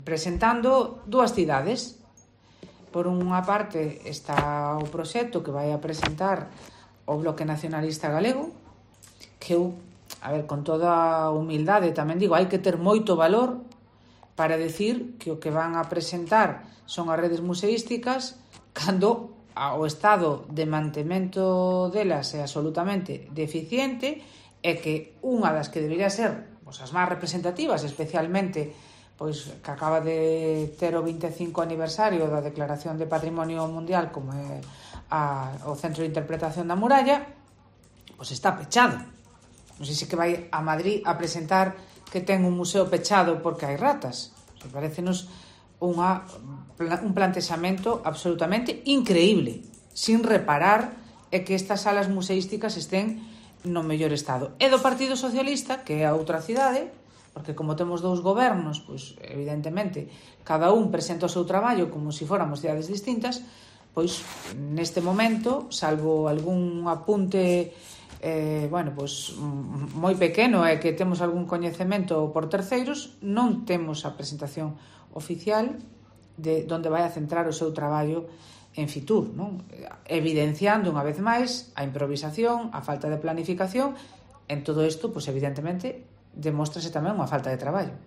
presentando dúas cidades. Por unha parte está o proxecto que vai a presentar o Bloque Nacionalista Galego, que eu, con toda a humildade tamén digo, hai que ter moito valor para decir que o que van a presentar son as redes museísticas cando o estado de mantemento delas é absolutamente deficiente e que unha das que debería ser as máis representativas, especialmente que acaba de ter o 25 aniversario da Declaración de Patrimonio Mundial, como é o Centro de Interpretación da Muralla, está pechado. Non sei se que vai a Madrid a presentar que ten un museo pechado porque hai ratas. Parécenos un plantexamento absolutamente increíble, sin reparar que estas salas museísticas estén no mellor estado. E do Partido Socialista, que é a outra cidade, porque como temos dous gobernos, evidentemente, cada un presenta o seu traballo como se fóramos cidades distintas, neste momento, salvo algún apunte moi pequeno e que temos algún coñecemento por terceiros, non temos a presentación oficial de onde vai a centrar o seu traballo en Fitur, non? Evidenciando unha vez máis a improvisación, a falta de planificación. En todo isto, evidentemente, demóstrase tamén unha falta de traballo.